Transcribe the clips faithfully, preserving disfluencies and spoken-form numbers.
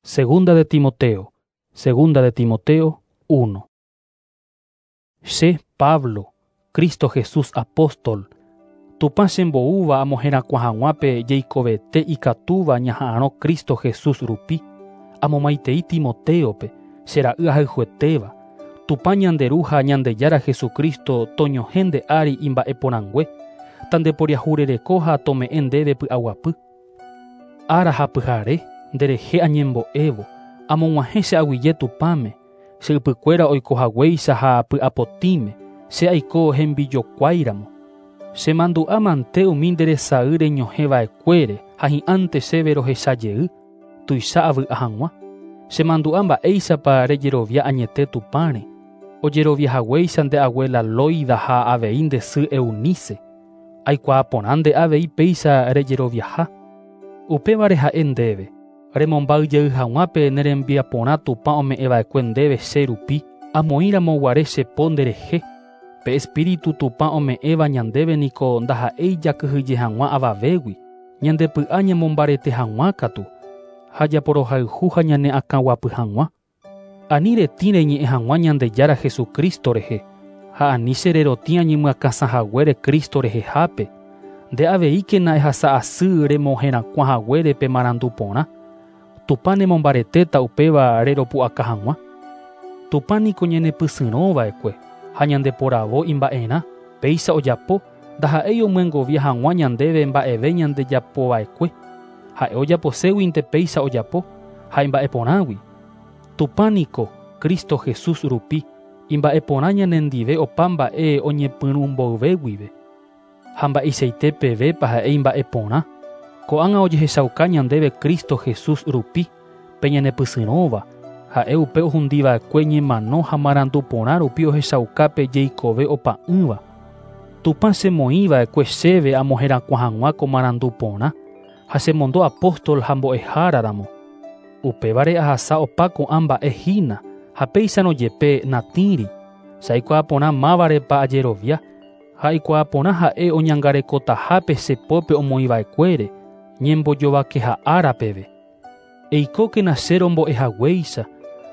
Segunda de Timoteo, Segunda de Timoteo uno. Che Pablo, Cristo Jesús apóstol, Tupã chemboúva amoherakuã hag̃ua pe jeikovete ikatúva ñaha'arõ Cristo Jesús rupi, amomaitei Timoteope, che ra'y ahayhuetéva, Tupã ñande Ru ha Ñandejára Jesucristo toñohẽ nde ári imba'eporãngue, tandeporiahurereko ha tome'ẽ ndéve py'aguapy. Ára ha pyhare nderehe añembo'évo, amog̃uahẽ che aguyje Tupãme, che ypykuéra oikohaguéicha ha py'apotĩme, che aiko hembijokuáiramo. Chemandu'a mante umi nderesay reñohẽva'ekuére ha hi'ãnte chéve rohecha jey, tuicha avy'a hag̃ua. Chemandu'a mba'éichapa rejerovia añete Tupãre, ojeroviahaguéicha nde abuela Loida ha avei nde sy Eunice. Aikuaa porã nde avei péicha rejeroviaha. Upévare ha'e ndéve, remomba'yjey hag̃ua pe nerembiaporã Tupã ome'ẽva'ekue ndéve che rupi, amoĩramoguare che po nderehe. Pe Espíritu Tupã ome'ẽva ñandéve niko ndaha'éi jakyhyje hag̃ua avavégui, ñandepy'a ñamombarete hag̃ua katu, ha japorohayhu ha ñane akãguapy hag̃ua. Ani retĩ reñe'ẽ hag̃ua Ñandejára Jesucristo rehe, ha ani che rerotĩ añemyakãsãhaguére Cristo rehehápe, nde aveíkena ehasa asy remoherakuã haguére pe marandu porã. Tupã nemombaretéta upéva reropu'aka hag̃ua. Tupã niko ñanepysyrõva'ekue ha ñandeporavo imba'erã, péicha ojapo ndaha'éi omyengovia hag̃ua ñandéve mba'eve ñandejapova'ekue. Ha'e ojaposéguinte péicha ojapo ha imba'eporãgui. Tupã niko Cristo Jesús rupi imba'eporã ñanendive opa mba'e oñepyrũ mboyve guive. Ha mba'eichaite pevépa ha'e imba'eporã. Ko'ág̃a ojehechauka ñandéve Cristo Jesús rupi pe ñanepysyrõva, ha'e upe ohundiva'ekue ñemano ha marandu porã rupi ohechauka pe jeikove opa'ỹva. Tupã chemoĩva'ekue chéve amoherakuã hag̃ua ko marandu porã ha chemondo apóstol ha mbo'eháraramo. Upévare ahasa opa ko'ã mba'e hína ha péicharõ jepe natĩri. Che aikuaa porã mávarepa ajerovia ha aikuaa porã ha'e oñangarekotahápe che pópe omoĩva'ekuére ñembojovakeha ára peve. Eikókena che rombo'ehaguéicha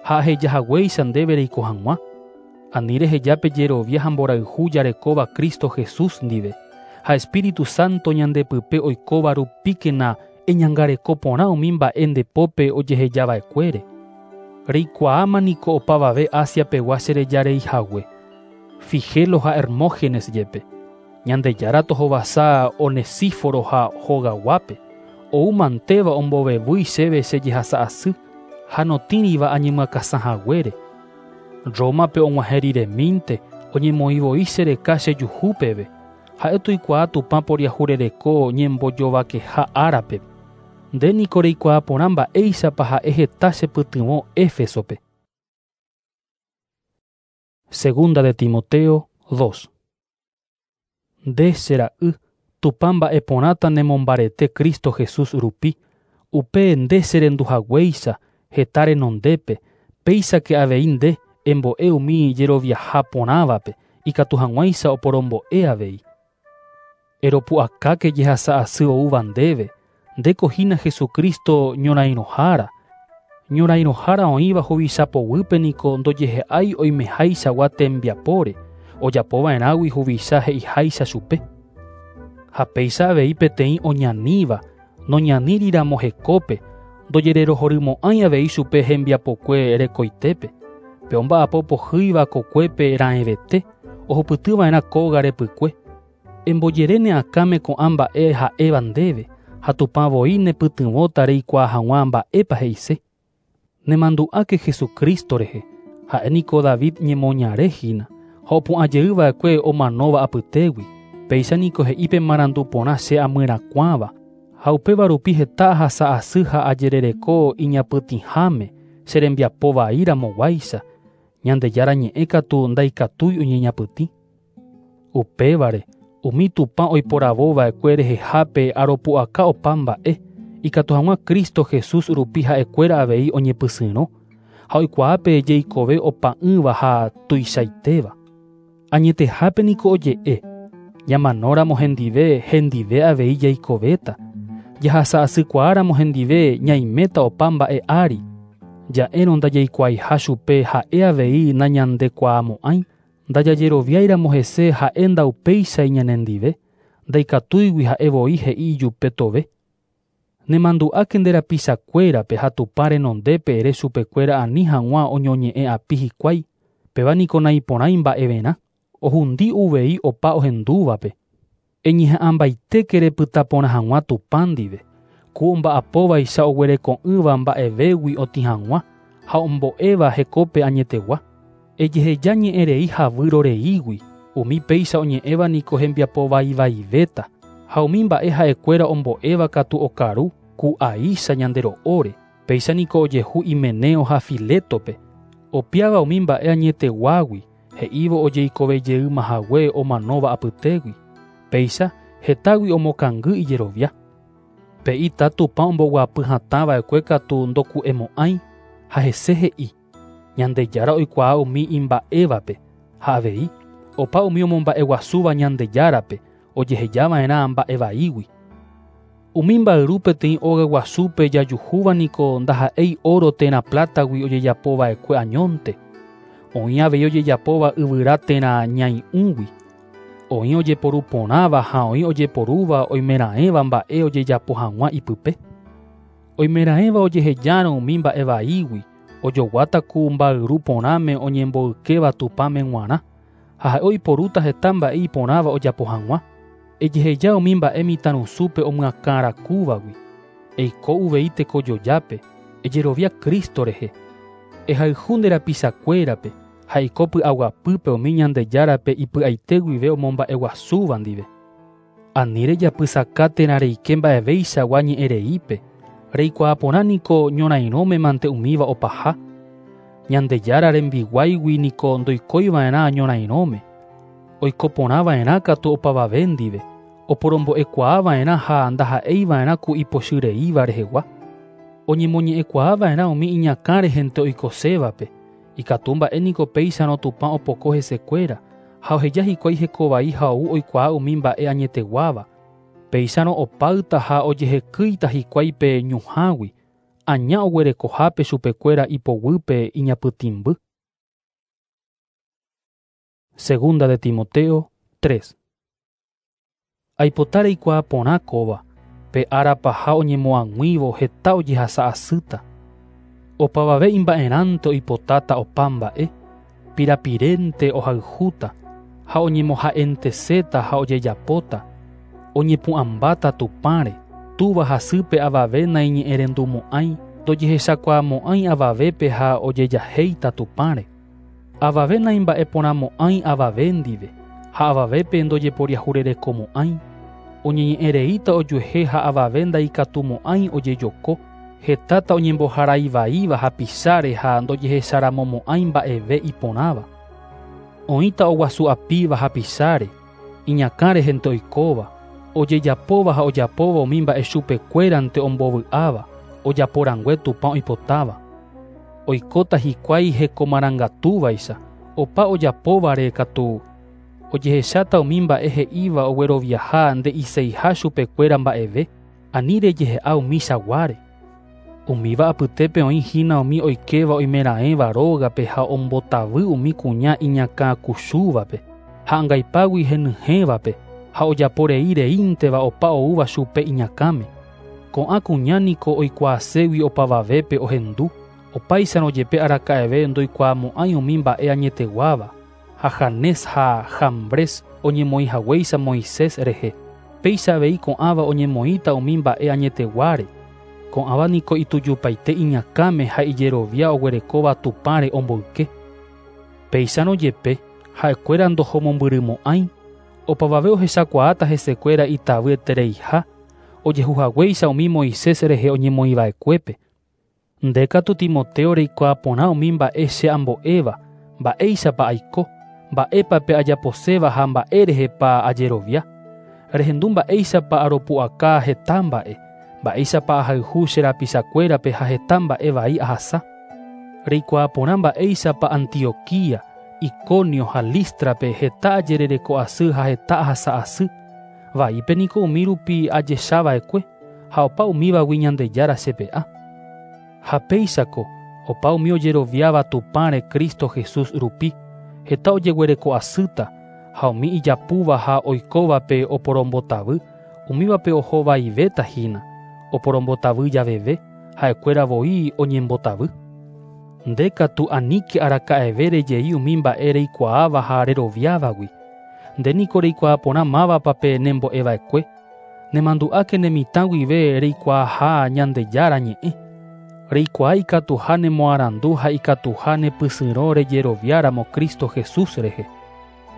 ha ahejahaguéicha ndéve reiko hag̃ua. Ani reheja pe jerovia ha mborayhu jarekóva Cristo Jesús ndive ha Espíritu Santo ñandepype oikóva rupíkena eñangareko porã umi mba'e nde pópe ojehejava'ekuére. Reikuaáma niko opavave Asia pegua cherejareihague, Figelo ha Hermógenes jepe. Ñandejára tohovasa Onesíforo ha hogaguápe, ou mantéva ombovevýi chéve che jehasa asy ha notĩriva añemyakãsãhaguére. Rómape og̃uahẽ riremínte oñemoĩvoi chereka chejuhu peve. Ha'e toikuaa Tupã poriahurereko ñembojovakeha árape. Nde niko reikuaa porã mba'éichapa ha'e heta chepytyvõ Éfesope. Segunda de Timoteo dos. Nde che ra'y, Tupã mba'eporãta nemombarete Cristo Jesús rupi, upe nde cherenduhaguéicha heta renondépe, péichake avei nde embo'e umi jeroviaha porãvape ikatu hag̃uáicha oporombo'e avei. Eropu'akáke jehasa asy oúva ndéve, ndéko hína Jesucristo ñorairõhára. Ñorairõhára oĩva huvichapoguýpe niko ndojehe'ái oimeháichagua tembiapóre, ojapova'erãgui huvicha he'iháicha chupe. Ha péicha avei peteĩ oñaníva, noñaníriramo hekópe, ndojererohorymo'ãi avei chupe hembiapokue rekoitépe. Pe omba'apo pohýiva kokuépe raẽvete, ohupytyva'erã kóga repykue. Embojere ne akãme ko'ã mba'e ha'éva ndéve, ha Tupã voi nepytyvõta reikuaa hag̃ua mba'épa he'ise. Nemandu'áke Jesucristo rehe, ha'e niko David ñemoñare hína, ha opu'ãjeyva'ekue omanóva apytégui. Péicha niko he'i pe marandu porã che amyrakuãva, ha upéva rupi heta ahasa asy ha ajerereko iñapytĩháme che rembiapo vaíramoguáicha, Ñandejára ñe'ẽ katu ndaikatúi oñeñapytĩ. Upévare, umi Tupã oiporavóva'ekue rehehápe aropu'aka opa mba'e, ikatu hag̃ua Cristo Jesús rupi ha'ekuéra avei oñepysyrõ, ha oikuaápe jeikove opa'ỹva ha tuichaitéva. Añetehápe niko oje'e, ñamanóramo hendive, hendive avei jaikovéta. Jahasa asykuaáramo hendive ñaiméta opa mba'e ári. Ja'érõ ndajaikuaaiha chupe ha'e avei nañandekuaamo'ãi, ndajajeroviáiramo hese ha'e ndaupéichai ñanendive, ndaikatúigui ha'e voi he'i ijupe tove. Nemandu'áke nde rapichakuérape ha Tupã renondépe ere chupekuéra ani hag̃ua oñoñe'ẽ api hikuái, péva niko naiporãi mba'everã, ohundi uvei opa ohendúvape. Eñeha'ãmbaitéke repyta porã hag̃ua Tupã ndive, ku omba'apóvaicha oguereko'ỹva mba'evégui otĩ hag̃ua ha ombo'éva hekópe añetegua. Ejeheja ñe'ẽrei ha vyroreígui, umi péicha oñe'ẽva niko hembiapovaivaivéta, ha umi mba'e ha'ekuéra ombo'éva katu okaru ku aícha ñande ro'óre, péicha niko ojehu Himeneo ha Filetope, opiáva umi mba'e añeteguágui, he'ívo ojeikovejeýmahague omanóva apytégui, péicha hetágui omokangy ijerovia. Pe ita Tupã omboguapy hatãva'ekue katu ndoku'emo'ãi ha hese he'i, Ñandejára oikuaa umi imba'évape, ha avei opa umi omomba'eguasúva Ñandejárape ojehejava'erã mba'evaígui. Umi mba'yru peteĩ óga guasúpe jajuhúva niko ndaha'éi oro térã plátagui ojejapova'ekue añónte, oĩ avei ojejapóva yvyra térã ñai'ũgui, oĩ ojeporu porãva ha oĩ ojeporúva oimeraẽva mba'e ojejapo hag̃ua ipype. Oimeraẽva ojehejárõ umi mba'evaígui, ojoguáta ku mba'yru porãme oñemboykéva Tupãme g̃uarã, ha ha'e oiporúta heta mba'e iporãva ojapo hag̃ua. Ejeheja umi mba'e mitãrusúpe omyakãrakúvagui, eiko uvei tekojojápe, ejerovia Cristo rehe, ehayhu nde rapichakuérape ha eiko py'aguapýpe umi Ñandejárape ipy'aite guive omomba'eguasúva ndive. Ani rejapysaka térã reike mba'evéichagua ñe'ẽreípe, reikuaa porã niko ñorairõme mante umíva opaha. Ñandejára rembiguáigui niko ndoikoiva'erã ñorairõme, oiko porãva'erã katu opavave ndive, oporombo'ekuaava'erã ha ndaha'eiva'erã ku ipochyreíva rehegua. Oñemoñe'ẽkuaava'erã umi iñakã rehente oikosévape, ikatu mba'e niko péicharõ Tupã opoko hesekuéra ha oheja hikuái hekovai ha ou oikuaa umi mba'e añeteguáva. Péicharõ opáyta ha ojehekýita hikuái pe ñuhãgui, aña oguerekohápe chupekuéra ipoguýpe iñapytĩmby. Segunda de Timoteo tres. Aipota reikuaa porã kóva, pe ára paha oñemoag̃uívo heta ojehasa asýta. Opavave imba'erãnte oipotáta opa mba'e, pirapirénte ohayhúta, ha oñemoha'enteséta ha ojejapóta, oñepu'ãmbáta Tupãre, túva hasýpe avave naiñe'ẽrendumo'ãi, ndojehechakuaamo'ãi avavépe ha ojejahéita Tupãre. Avave naimba'eporãmo'ãi avave ndive, ha avavépe ndojeporiahurerekomo'ãi, oñeñe'ẽreíta ojuehe ha avave ndaikatumo'ãi ojejoko, hetáta oñemboharaivaíva hapicháre ha ndojehecharamomo'ãi mba'eve iporãva. Oĩta oguasu'apíva hapicháre, iñakã rehente oikóva, ojejapóva ha ojapóva umi mba'e chupekuérante ombovy'áva, ojaporangue Tupã oipotáva. Oikóta hikuái hekomarangatúvaicha, opa ojapóvare katu ojehecháta umi mba'e he'íva ogueroviaha nde'iseiha chupekuéra mba'eve, ani rejehe'a umi chaguáre. Umíva apytépe oĩ hína umi oikéva oimeraẽva rógape ha ombotavy umi kuña iñakãkuchúvape, ha angaipágui henyhẽvape, ha ojaporei reínteva opa oúva chupe iñakãme. Ko'ã kuña niko oikuaaségui opavavépe ohendu, opáicharõ jepe araka'eve ndoikuaamo'ãi umi mba'e añeteguáva, ha Janés ha Jambres oñemoĩhaguéicha Moisés rehe, péicha avei ko'ãva oñemoĩta umi mba'e añeteguáre. Ko'ãva niko itujupaite iñakãme ha ijerovia oguerekóva Tupãre omboyke. Péicharõ jepe ha'ekuéra ndohomombyrymo'ãi, opavave ohechakuaáta hesekuéra itavyetereiha, ojehuhaguéicha umi Moisés rehe oñemoĩva'ekuépe. Nde katu Timoteo reikuaa porã umi mba'e che ambo'éva, mba'éichapa aiko, mba'épa pe ajaposéva ha mba'e rehepa ajerovia. Rehendu mba'éichapa aropu'aka heta mba'e, mba'éichapa ahayhu che rapichakuérape ha heta mba'e vai ahasa. Reikuaa porã mba'éichapa Antioquía, Iconio ha Lístrape heta ajerereko asy ha heta ahasa asy. Vaípe niko umi rupi ajechava'ekue ha opa umívagui Ñandejára chepe'a. Ha péichako Opa umi ojeroviáva Tupãre Cristo Jesús rupi, heta ojeguereko asýta, ha umi ijapúva ha oikóvape oporombotavy, umívape ohovaivéta hína, oporombotavy javeve, ha'ekuéra voi oñembotavy. Nde katu aníke araka'eve rejei umi mba'e reikuaáva ha reroviávagui. Nde niko reikuaa porã mávapa nembo'eva'ekue. Nemandu'áke ne mitã guive reikuaaha Ñandejára ñe'ẽ. Reikuaa ikatuha nemoarandu ha ikatuha nepysyrõ rejeroviáramo Cristo Jesús rehe.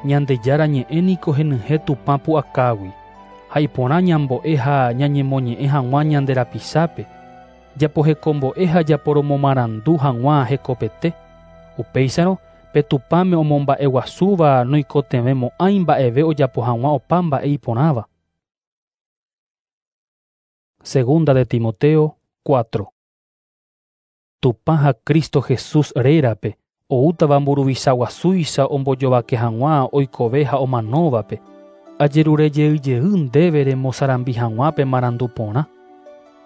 Ñandejára ñe'ẽ niko henyhẽ Tupã pu'akágui. Ha iporã ñambo'e ha ñañemoñe'ẽ hag̃ua ñande rapichápe. Japohekombo'e ha japoromomarandu hag̃ua hekopete. Upéicharõ pe Tupãme omomba'eguasúva noikotevẽmo'ãi mba'eve ojapo hag̃ua opa mba'e iporãva. Segunda de Timoteo cuatro. Tupã ha Cristo Jesús rérape oútava mburuvicha guasúicha ombojovake hag̃ua oikove ha omanóvape. Ajerurejeyjey ndéve remosarambi hag̃ua pe marandu porã.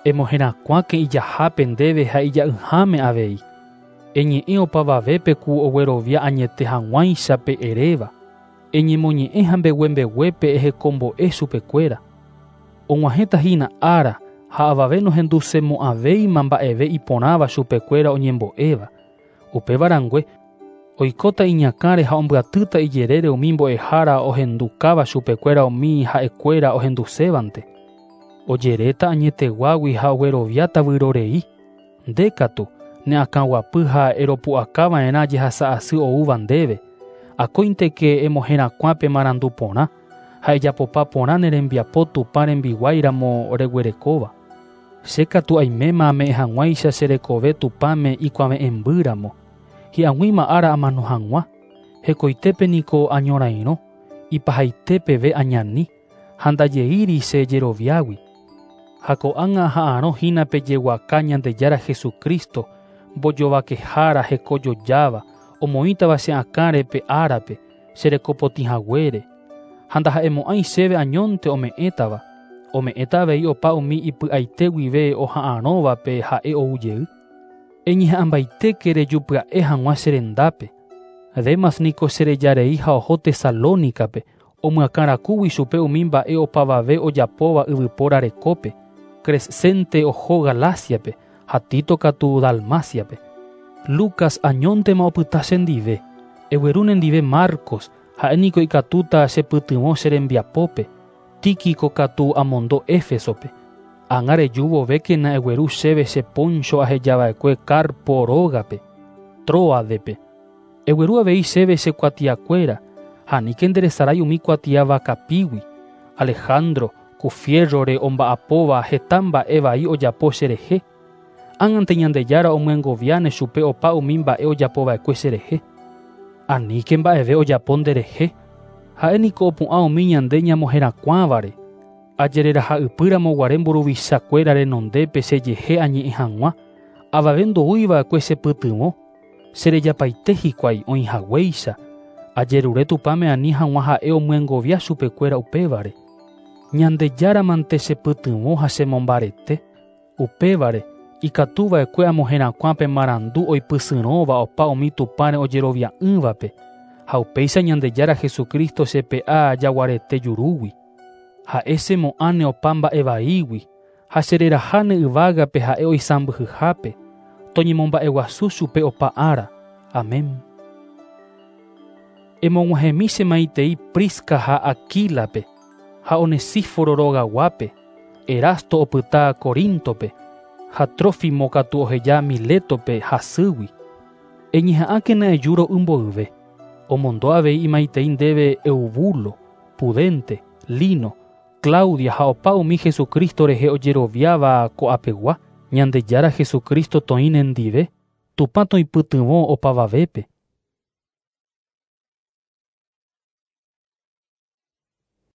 Emoherakuãke ijahápe ndéve ha ija'ỹháme avei. Eñe'ẽ opavavépe ku oguerovia añete hag̃uáicha pe eréva. Eñemoñe'ẽ ha mbeguembeguépe ehekombo'e chupekuéra. Og̃uahẽta hína ára ha avave nohendusemo'ãvéima mba'eve iporãva chupekuéra oñembo'éva. Upéva rangue oikóta iñakãre ha ombyatýta ijerére umi mbo'ehára ohendukáva chupekuéra umi ha'ekuéra ohendusévante. Ojeréta añeteguágui ha ogueroviáta vyrorei. Nde katu ne akãguapy ha eropu'akava'erã jehasa asy oúva ndéve. Akóinteke emoherakuã pe marandu porã ha ejapopa porã ne rembiapo Tupã rembiguáiramo reguerekóva. Che katu aiméma ame'ẽ hag̃uáicha che rekove Tupãme ikuave'ẽmbýramo. Hi'ag̃uíma ára amano hag̃ua. Hekoitépe niko añorairõ, ipahaite peve añani, ha ndajeíri che jeroviágui. Ha ko'ág̃a ha'arõ hína pejeguaka Ñandejára Jesucristo, mbojovakehára hekojojáva, omoĩtava che akãre pe árape, che rekopotĩ haguére. Ha ndaha'emo'ãi chéve añónte ome'ẽtava. Ome'ẽta avei opa umi ipy'aite guive oha'arõvape ha'e ou jey. Eñeha'ãmbaitéke rejupya'e hag̃ua che rendápe. Demas niko cherejarei ha oho Tesalónicape, omyakãrakúgui chupe umi mba'e opavave ojapóva yvypóra rekópe. Crescente oho Galáciape ha Tito katu Dalmáciape. Lucas añóntema opyta chendive. Egueru nendive Marcos, ha'e niko ikatúta chepytyvõ che rembiapópe. Tíquico katu amondo Éfesope. Ág̃a reju vovékena egueru chéve che poncho ahejava'ekue Carpo rógape, Tróadepe. Egueru avei chéve che kuatiakuéra, ha aníke nderesarái umi kuatia vakapígui. Alejandro, ku fiérrore omba'apóva heta mba'e vai ojapo cherehe. Ág̃ante Ñandejára omyengoviáne chupe opa umi mba'e ojapova'ekue cherehe. Aníke mba'eve ojapo nderehe. Ha'e niko opu'ã umi ñande ñamoherakuãvare. Ajereraha ypýramo guare mburuvichakuéra renondépe chejehe añe'ẽ hag̃ua, avave ndoúiva'ekue chepytyvõ. Cherejapaite hikuái oĩhaguéicha. Ajerure Tupãme ani hag̃ua ha'e omyengovia chupekuéra upévare. Ñandejáramante chepytyvõ ha chemombarete. Upévare ikatuva'ekue amoherakuã pe marandu oipysyrõva opa umi Tupãre ojerovia'ỹvape. Ha upéicha Ñandejára Jesucristo chepe'a jaguarete jurúgui. Ha'e chemo'ãne opa mba'e vaígui ha chereraháne yvágape ha'e oisãmbyhyhápe. Toñemomba'eguasu chupe opa ára. Amén. Emog̃uahẽmi che maitei Prisca ha Aquílape ha Onesíforo rogaguápe. Erasto opyta Coríntope ha Trófimo katu oheja Milétope hasýgui. Eñeha'ãkena eju ro'y mboyve. Omondo avei imaitei ndéve Eubulo, Pudente, Lino, Claudia ha opa umi Jesucristo rehe ojeroviáva ko'apegua. Ñandejára Jesucristo toĩ nendive, Tupã toipytyvõ opavavépe.